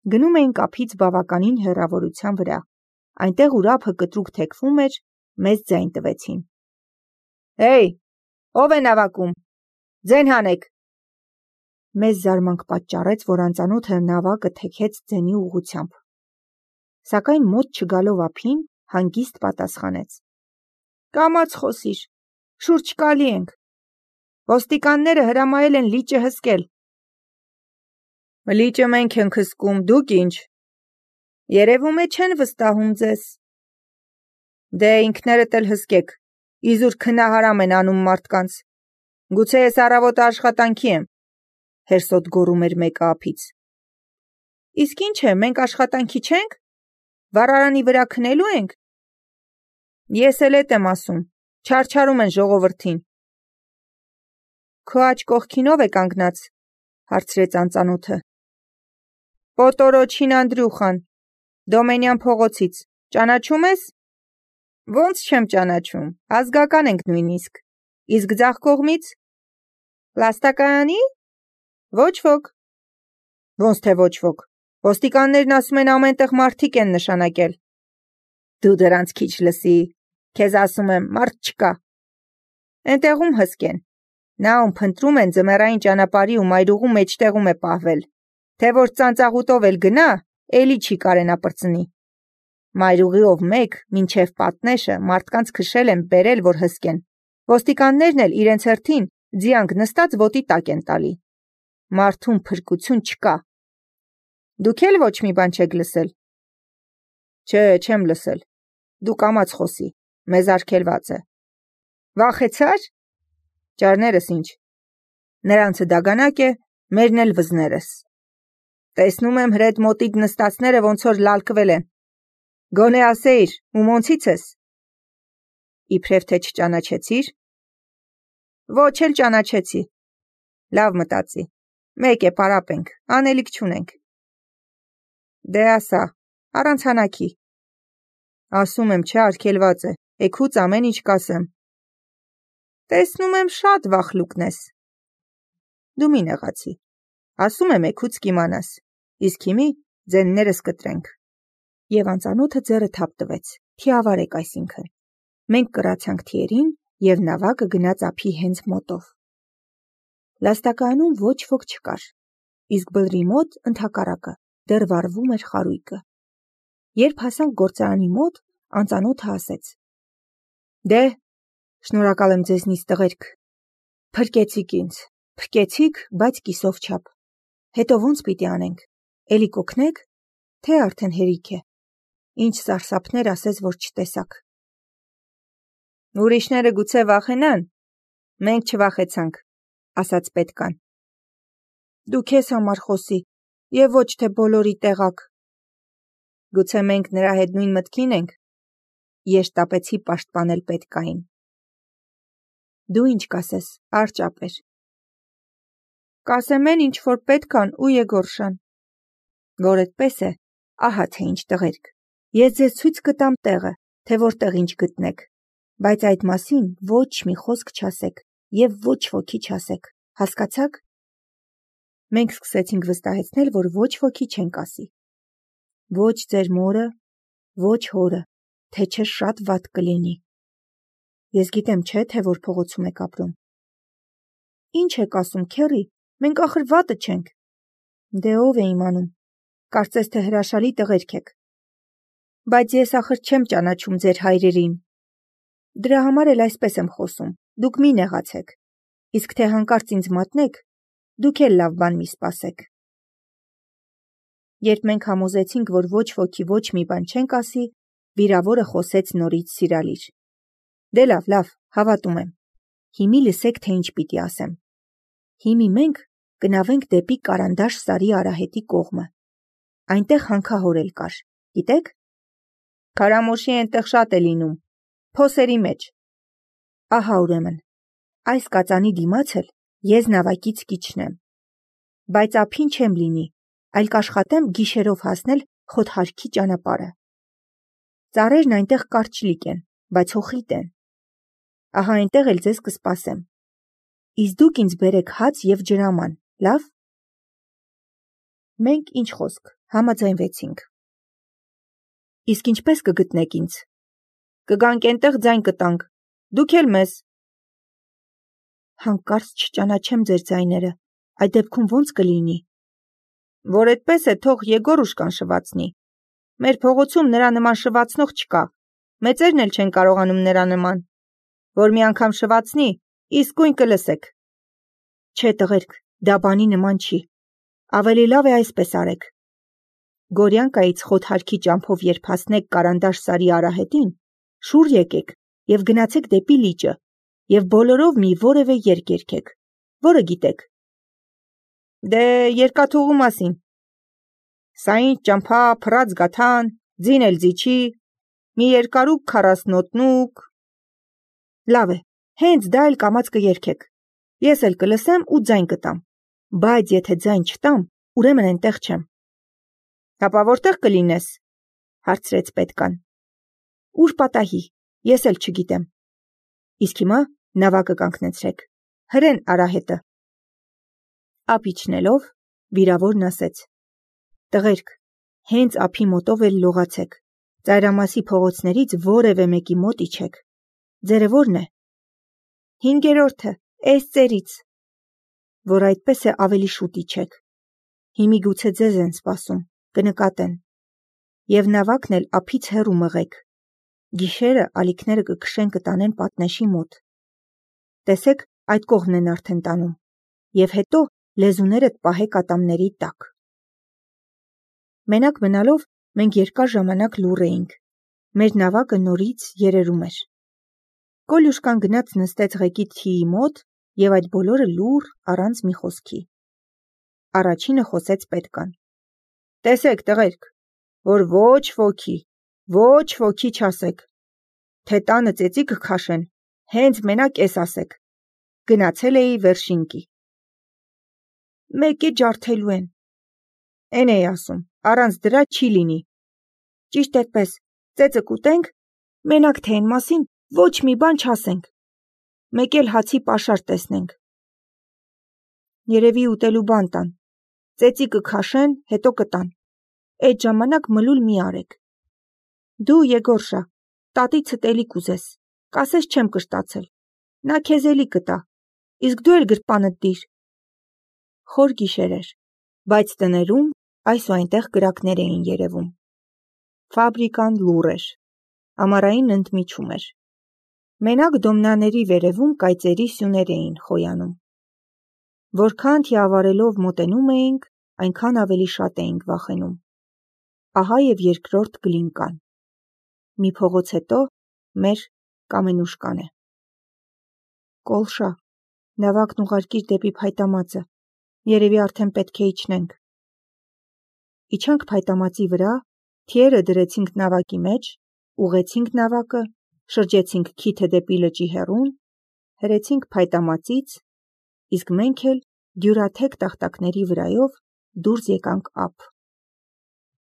Գնում էինք ափից բավականին հեռավորության վրա, այնտեղ ուր ափը կտրուկ թեքվում էր, մեզ ձայն տվեցին. «Հեյ, ո՞վ է նավակում, ձեն հանեք»։ Մեզ զարմանք պատճառեց, որ անծանոթը նավակը թեքեց ձենի ուղղությամբ, սակայն մոտ չգալով ափին, հանգիստ պատասխանեց. «Կամաց խոսիր, շուրջը չկալի ենք, ոստիկանները հրամայել են լիճը հսկել»։ «Լիճը մենք ենք հսկում, դուք ինչ, երևում է չեն վստահում ձեզ»։ «Դե ինքներդ էլ հսկեք, իզուր քնահարամ են անում մարդկանց, գուցե ես առավոտը աշխատանքի եմ», հերսոտ գոռում էր մեկը ափից։ «Իսկ ինչ է, մենք աշխատանքի չենք, վառարանի վրա քնելու ենք»։ «Ես էլ էդ եմ ասում, չարչարում են ժողովրդին»։ «Քո աջ կողքին ով է կանգնած», հարցրեց անծանոթը։ «Պոտորոչին Անդրյուխան, Դոմենյան փողոցից, ճանաչում ես»։ «Ոնց չեմ ճանաչում, ազգական ենք նույնիսկ, իսկ ձախ կողմից»։ «Լաստակայանի»։ «Ոչ ոք»։ «Ոնց թե ոչ ոք, ոստիկաններն ասում են ամենտեղ մարդիկ են նշանակել»։ «Դու դրանց քիչ լսի, քեզ ասում եմ, մարդ չկա»։ «Էնտեղում հսկեն, նա ում փնտրում են ձմեռային ճանապարհի ու մայրուղու մեջտեղում է պահվել, թե որ ծանծաղուտով էլ գնա, էլի չի կարենա պրծնի։ Մայրուղիով մեկ, մինչև պատնեշը, մարդկանց քշել են բերել, որ հսկեն, ոստիկաններն էլ իրենց հերթին ձիանք նստած ոտի տակ են տալի։ Մարդում փրկություն չկա։ Դուք էլ ոչ մի բան չեք լսել։ Չէ, չեմ լսել, դու կամաց խոսի, մեզ արգելված է։ Վախեցա՞ր։ Ճարներս ինչ, նրանցը դագանակ է, մերն էլ վզներս։ Տեսնում եմ հրետ մոտիդ նստածները ոնց որ լալկվել են։ Գոնե ասեիր, ումոնցից ես։ Իբրև թե չճանաչեցիր։ Ոչ էլ ճանաչեցի։ Լավ մտածի, մեկ է պարապենք, անելիք չունենք։ Դե ասա, առանց հանակի։ Ասում եմ, չէ, արգելված է, էգուց ամեն ինչ կասեմ։ Տեսնում եմ շատ վախլուկն ես։ Դու մի նեղացի, ասում եմ էգուց կիմանաս, իսկ հիմի ձեններս կտրենք։ Եվ անծանոթը ձեռը թափ տվեց, թիավարեք այսինքն։ Մենք կրացանք թիերին և նավակը գնաց ափի հենց մոտով։ Լաստակայանում ոչ ոք չկար, իսկ բլրի մոտ ընդհակառակը դեռ վառվում էր խարույկը։ Երբ հասանք գործարանի մոտ, անծանոթը ասեց. Դե, շնորհակալ եմ ձեզնից տղերք, փրկեցիք ինձ, փրկեցիք, բայց կիսով չափ։ Հետո ոնց պիտի անենք, էլի կօգնեք, թե արդեն հերիք է, ինչ սարսափներ ասես, որ չտեսաք։ Ուրիշները գուցե վախենան, մենք չվախեցանք, ասաց պետկան։ Դու քեզ համար խոսի, և ոչ թե բոլորի տեղակ։ Գուցե մենք նրա հետ նույն մտքին ենք, ես շտապեցի պաշտպանել պետկային։ Դու ինչ կասես, արճապեր։ Կասեմ են, ինչ որ պետքան ու Եգորշան։ Որ այդպես է, ահա թե ինչ տղերք, ես ձեզ ցույց կտամ տեղը, թե որտեղ ինչ գտնեք, բայց այդ մասին ոչ մի խոսք չասեք և ոչ ոքի չասեք, հասկացաք։ Մենք սկսեցինք վստահեցնել, որ ոչ ոքի չենք ասի։ Ոչ ձեր մորը, ոչ հորը, թե չէ շատ վատ կլինի։ Ես գիտեմ, չէ, թե որ փողոցում եք ապրում։ Ինչ եք ասում, քեռի, մենք ախր վատը չենք։ Դե ով է իմանում, կարծես թե հրաշալի տղերք եք։ Բայց ես ախր չեմ ճանաչում ձեր հայրերին։ Դրա համար էլ այսպես եմ խոսում, դուք մի նեղացեք, իսկ թե հանկարծ ինձ մատնեք, դուք էլ լավ բան մի սպասեք։ Երբ մենք համոզեցինք, որ ոչ ոքի ոչ մի բան չենք ասի, վիրավորը խոսեց նորից սիրալիր։ Դե լավ, հավատում եմ։ Հիմի լսեք, թե ինչ պիտի ասեմ։ Հիմի մենք գնավենք դեպի Կարանդաշ Սարի արահետի կողմը։ Այնտեղ հանքահոր էլ կար, գիտեք։ Քարամոշի այնտեղ շատ է լինում, փոսերի մեջ։ Ահա ուրեմն, այս կածանի դիմաց էլ ես նավակից կիջնեմ։ Բայց ափին չեմ լինի, այլ կաշխատեմ գիշերով հասնել Խոթհարքի ճանապարհը։ Ծառերն այնտեղ կարճլիկ են, բայց հոխիտ են։ Ահա այնտեղ էլ ձեզ կսպասեմ։ Իսկ դուք ինձ բերեք հաց և ջրաման, լավ։ Մենք ինչ խոսք, համաձայնվեցինք։ Իսկ ինչպես կգտնեք ինձ։ Կգանք ենտեղ ձայն կտանք, դուք էլ մեզ։ Հանկարծ չճանաչեմ ձեր ձայները, այդ դեպքում ոնց կլինի։ Որ այդպես է, թող Եգոր ուշկան շվացնի։ Մեր փողոցում նրա նման շվացնող չկա, մեծերն էլ չեն կարողանում նրա նման։ Որ մի անգամ շվացնի, իսկույն կլսեք։ Չէ տղերք, դա բանի նման չի։ Ավելի լավ է այսպես արեք։ Գորյանկայից խոթարքի ճամփով երբ հասնեք Կարանդաշ Սարի արահետին, շուռ եկեք եւ գնացեք դեպի լիճը եւ բոլորով մի որևէ երգ երգեք, որը գիտեք։ Դե երկաթուղու մասին։ Սա ինչ ճամփա, փռած գաթան, ձին էլ ձիչի, մի երկարուկ 40 նոտնուկ։ Լավ է, հենց դա էլ կամաց կերգեք։ Ես էլ կլսեմ ու ձայն կտամ, բայց եթե ձայն չտամ, ուրեմն այնտեղ չեմ։ Հապա որտեղ կլինես, հարցրեց պետկան։ Ուր պատահի, ես էլ չգիտեմ։ Իսկ հիմա նավակը կանգնեցրեք, հրեն արահետը։ Ափ իջնելով, վիրավորն ասեց. Տղերք, հենց ափի մոտով էլ լողացեք, ծայրամասի փողոցներից որևէ մեկի մոտ իջեք։ Ձերը ո՞րն է։ 5-րդը, էս ծերից։ Որ այդպես է ավելի շուտ իջեք։ Հիմի գուցե ձեզ են սպասում, կնկատեն։ Եվ նավակն էլ ափից հեռու մղեք։ Գիշերը ալիքները կքշեն կտանեն պատնեշի մոտ։ Տեսեք, այդ կողմն են արդեն տանում։ Եվ հետո լեզուներդ պահեք ատամների տակ։ Մենակ մնալով մենք երկար ժամանակ լուռ էինք։ Մեր նավակը նորից երերում էր։ Կոլյուշկան գնաց նստեց ղեկի թիի մոտ եւ այդ բոլորը լուռ առանց մի խոսքի։ Առաջինը խոսեց պետկան. Տեսեք տղերք, որ ոչ ոքի չասեք, թե տանը ծեծիկը քաշեն, հենց մենակ էս ասեք, գնացել էի վերշինկի։ Մեկ է ջարդելու են։ Էն էի ասում, առանց դրա չի լինի։ Ճիշտ այդպես, ծեծը կուտենք, մենակ թե այն մասին ոչ մի բան չասենք։ Մեկ էլ հացի պաշար տեսնենք։ Երևի ուտելու բան տան։ Ծեծիկը քաշեն, հետո կտան։ Այդ ժամանակ մլուլ մի արեք։ Դու Եգորշա, տատիցդ էլի կուզես, կասես չեմ կշտացել։ Նա քեզ էլի կտա, իսկ դու էլ գրպանդ դիր։ Խոր գիշեր էր, բայց տներում այս ու այնտեղ կրակներ էին երևում։ Ֆաբրիկան լուռ էր, ամառային ընդմիջում էր։ Մենակ դոմնաների վերևում կայծերի սյուներ էին խոյանում։ Որքան թիավարելով մոտենում էինք, այնքան ավելի շատ էինք վախենում։ Ահա եւ երկրորդ գլինկան։ Մի փողոց հետո մեր կամենուշկան է։ Կոլշա, նավակն ուղարկիր դեպի փայտամածը, երևի արդեն պետք է իջնենք։ Իջանք փայտամածի վրա, թիերը դրեցինք նավակի մեջ, ուղեցինք նավակը, շրջեցինք քիթը դեպի լճի հեռուն, հրեցինք փայտամածից, իսկ մենք էլ դյուրաթեք տախտակների վրայով դուրս եկանք ափ։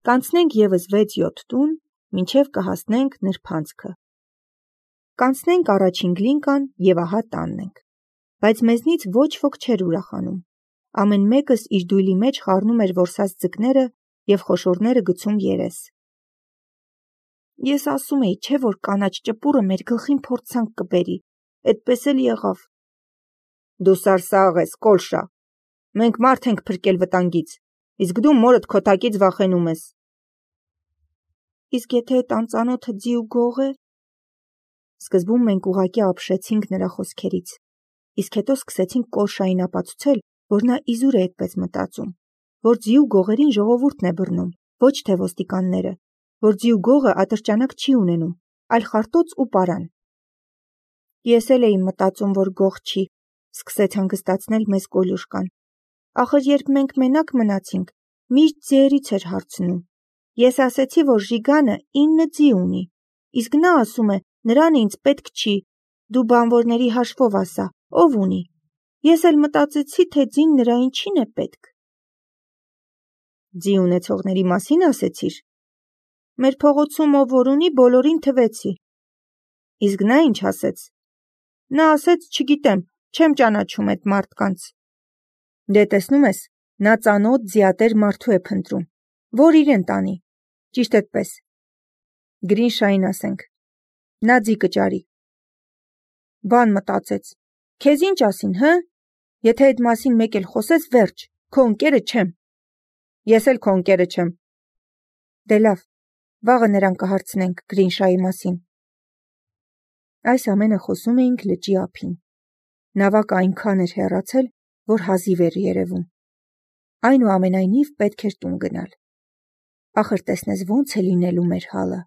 Կանցնենք եւս 6-7 տուն, մինչև կհասնենք նրբանցքը։ Կանցնենք առաջին գլինկան եւ ահա տանն ենք։ Բայց մեզնից ոչ ոք չէր ուրախանում։ Ամեն մեկս իր դույլի մեջ խառնում էր որսած ձկները եւ խոշորները գցում երես։ Ես ասում էի, չէ՞ որ կանաչ ճպուրը մեր գլխին փորձանք կբերի, այդպես էլ եղավ։ Դու սարսաղ ես, Կոլշա։ Մենք մարդ ենք փրկել վտանգից, իսկ դու մորդ քոթակից վախենում ես։ Իսկ եթե այդ անծանոթը ձի ու գող է։ Սկզբում մենք ուղղակի ապշեցինք նրա խոսքերից, իսկ հետո սկսեցինք Կոլշային ապացուցել, որ նա իզուր է այդպես մտածում, որ ձի ու գողերին ժողովուրդն է բռնում, ոչ թե ոստիկանները, որ ձի ու գողը ատրճանակ չի ունենում, այլ խարտոց ու պարան։ Ես էլ էի մտածում, որ գող չի, սկսեց հանգստացնել մեզ Կոլյուշկան։ Ախր երբ մենք մենակ մնացինք, միշտ ձիերից էր հարցնում։ Ես ասեցի, որ Ժիգանը 9 ձի ունի, իսկ նա ասում է, նրան ինձ պետք չի, դու բանվորների հաշվով ասա, ով ունի։ Ես էլ մտածեցի, թե ձին նրա ինչին է պետք։ Ձի ունեցողների մասին ասեցիր։ Մեր փողոցում ով որ ունի, բոլորին թվեցի։ Իսկ նա ինչ ասեց։ Նա ասեց, չգիտեմ, չեմ ճանաչում այդ մարդկանց։ Դե տեսնում ես, Նա ծանոթ ձիատեր մարդու է փնտրում, որ իրեն տանի, ճիշտ այդպես։ Գրինշային ասենք, նա ձի կճարի։ Բան մտածեց, քեզ ինչ ասին, հը? Եթե այդ մասին մեկ էլ խոսես, վերջ, քո ընկերը չեմ։ Ես էլ քո ընկերը չեմ։ Դե լավ, վաղը նրան կհարցնենք Գրինշայի մասին։ Այս ամենը խոսում էինք լճի ափին։ Նավակը այնքան էր հեռացել, որ հազիվ էր երևում։ Այնուամենայնիվ պետք էր տուն գնալ։ Ախր տեսնես ոնց է լինելու մեր հալը։